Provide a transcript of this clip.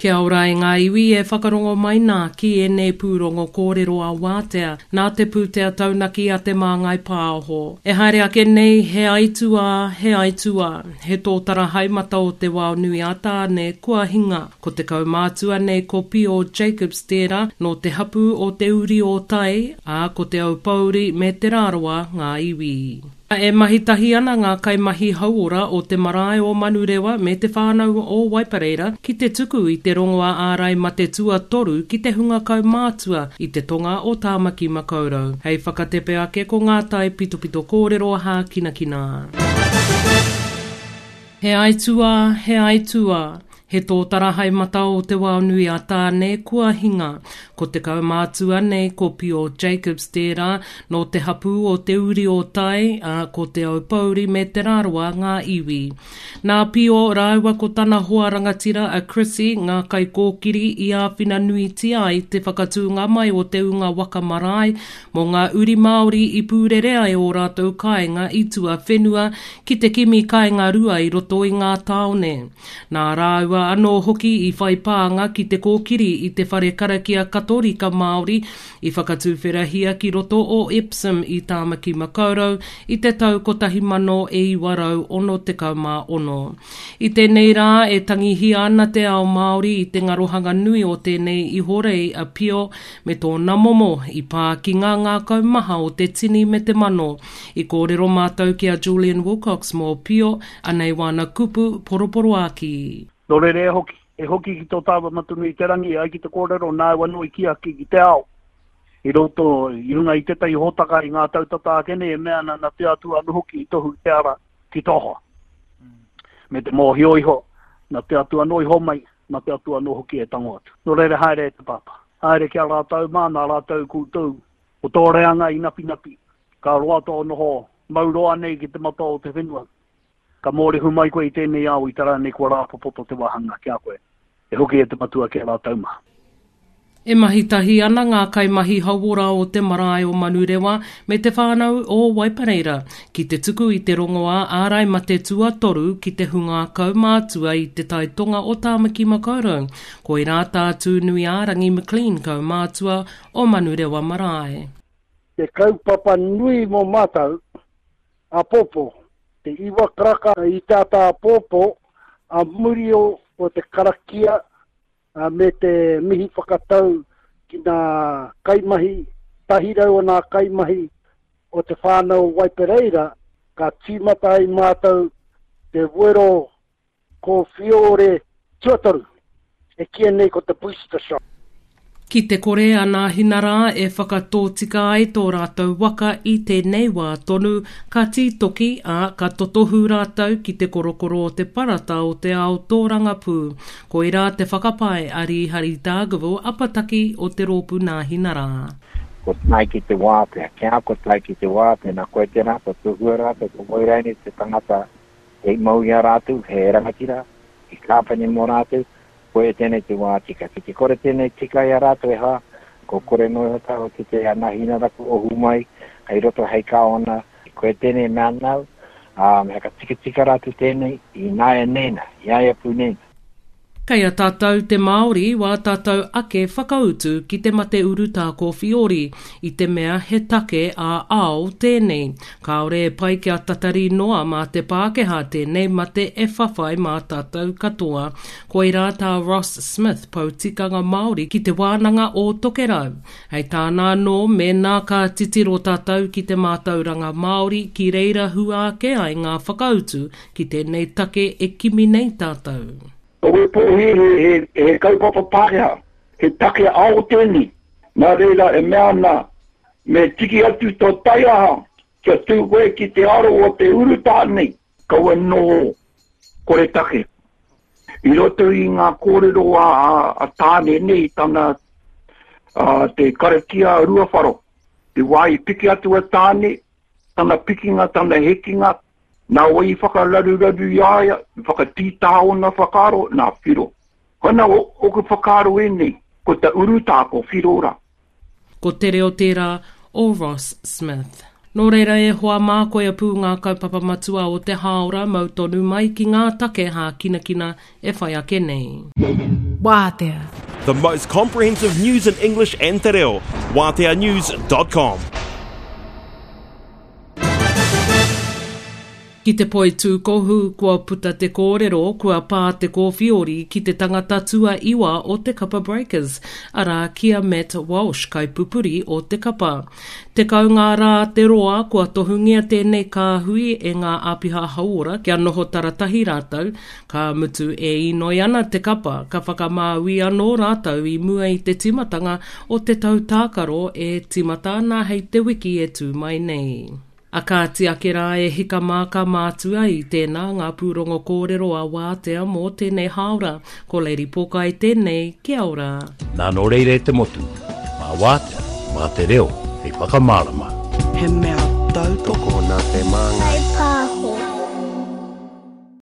Kia ora e ngā iwi e whakarongo mai nā ki ēnei pūrongo kōrero a Wātea nā te pūtea taunaki a Te Māngai Pāho. E haere ake nei he aituā, he aituā, he tōtara haemata o te wao nui a Tāne kua hinga. Ko te kaumātua nei ko Pio Jacobs tērā nō te hapū o Te Uri o Tai, ā, ko Te Aupōuri me Te Rarawa ngā iwi. E mahi tahi ana ngā kaimahi hauora o te marae o Manurewa me te whānau o Waipareira ki te tuku i te rongoā ārai mate tuatoru ki te hunga kaumātua i te tonga o Tāmaki Makaurau. Hei whakatepe ake ko ngā tae pitopito kōrero hākinakina. He aituā, he aituā. He tōtara hai mata o Te Waonui a Tāne kua hinga. Ko te kaumātua nei ko Pio Jacobs tērā, nō te hapū o Te Uri o Tai, ā, ko Te Aupōuri me Te Rarawa ngā iwi. Nā Pio rāua ko tana hoa rangatira a Chrissy ngā kaikōkiri i āwhina nuitia ai te whakatūnga mai o te unga waka marae mō ngā uri Māori i pūrere ai ō rātou kāinga i tuawhenua ki te kimi kāinga rua i roto i ngā tāone. Nā rāua anō hoki i whai pānga ki te kōkiri i te whare karakia Katorika Māori i whakatuwherahia ki roto o Epsom i Tāmaki Makaurau i te tau 1966. I tēnei rā e tangihia ana te ao Māori i te ngarohanga nui o tēnei ihorei a Pio me tōna momo i pā ki ngā ngākau maha o te tini me te mano. I kōrero mātou ki a Julian Wilcox mō Pio, Anei wāna kupu poroporoākī. Nō reira e hoki, e hoki ki tō tāua Matunui-te-rangi e ai ki te kōrero nāu anō i kī ake ki te ao i roto i runga i tētahi hōtaka i ngā tau tata ake nei e mea ana nā te Atua anō hoki i tohu te ara ki tō hoa. Me te mōhio iho, nā te Atua anō i homai, nā te Atua anō hoki e tango atu. Nō reira haere e te Pāpā. Haere ki a rātou mā, nā rātou koutou, ko tō reanga i napinapi, ka roa tō noho mau roa nei ki te mata o te whenua. Ka mōrehu mai koe i tēnei ao i te rā nei kua rāpopoto te wāhanga ki a koe. E hoki e te matua ki a rātou mā. E mahi tahi ana ngā kaimahi hauora o te marae o Manurewa me te whānau o Waipareira ki te tuku i te rongoā ārai mate tuatoru ki te hunga kaumātua i te tai tonga o Tāmaki Makaurau. Koirā tā Tūnuiārangi McLean kaumātua o Manurewa Marae. Te kaupapa nui mō mātou, āpōpō, te iwa karaka i te ata āpōpō, ā muri o te karakia me te mihi whakatau ki ngā kaimahi, 100 o ngā kaimahi o te whānau o Waipereira, ka tīmata ai mātou te wero Ko Fiore tuatoru, e kīia nei ko te booster shot. Ki te kore a Nāhina rā e whakatōtika ai tō rātou waka i tēnei wā tonu, ka tītoki, ā, ka totohu rātou ki te korokoro o te parata o te ao tōrangapū. Koirā te whakapae a Rīhari Dargaville Apataki o te rōpū Nāhina rā. Ko tae ki te wātea, kia ko tae ki te wātea, nā koe tērā, ko tohua rātou, ko wai rānei te tangata Kei mau i a rātou, he rangatira, he kāpene mō rātou, koia tēnei te wā tika. Ki te kore tēnei tika i a rātou e hā, ko kore noa iho tāua ki te Anahinaraku ohu mai, hei roto hei kāwana, koia tēnei mea nāu, ā, me whakatikatika rātou tēnei ināianei nā, i a ia pū nei nā. Kei a tātou te Māori wā tātou ake whakautu ki te mate urutā kōwhiori, i te mea he take ā-ao tēnei. Kāore e pai kia tatari noa mā te Pākehā tēnei mate e whawhai mā tātou katoa. Koirā tā Ross Smith, pou tikanga Māori ki Te Wānanga o Tokerau. Hei tāna anō, mēnā ka titiro tātou ki te mātauranga Māori, ki reira hua ake ai ngā whakautu Ki tēnei take e kimi nei tātou. Ko Waipohiri he, he kaupapa Pākehā, he take ao tēnei. Nā reira e mea ana, me tiki atu tō taiaha kia tū koe ki te aro o te urutā nei, kaua noho kore take. I roto i ngā kōrero a, a, a Tāne nei, tana, a, te karakia a Ruawharo, te wā i piki atu a Tāne, tana pikinga, tana hekinga, Nā wai i whakararuraru i a ia, i whakatītā ōna whakaaro, nā Whiro. Koina ōku whakaaro ēnei, ko ta urutā ko Whiro rā. Ko te reo tērā o Ross Smith. Nō reira e hoa mā koia pū ngā kaupapa matua o te hāora mau tonu mai ki ngā take hākinakina e whai ake nei. Wātea. The most comprehensive news in English and te reo. WāteaNews.com. Ki te poitūkohu, kua puta te kōrero kua pā te kōwhiori ki te tangata tuaiwa o te kapa Breakers, arā ki a Matt Walsh, kaipupuri o te kapa. 10 ngā rā te roa kua tohungia tēnei kāhui e ngā āpiha hauora kia noho taratahi rātou, ka mutu e inoi ana te kapa ka whakamāui anō rātou i mua i te tīmatanga o te tau tākaro e tīmata ana hei te wiki e tū mai nei. A kāti ake rā e hika mā ka mātua i tēnā ngā pūrongo kōrero a Wātea mō tēnei hāora. Ko Lady Pokai tēnei, kia ora. Nā nō reira e te motu, mā Wātea, mā te reo hei whakamārama. He mea tautoko. Tokona te māngai.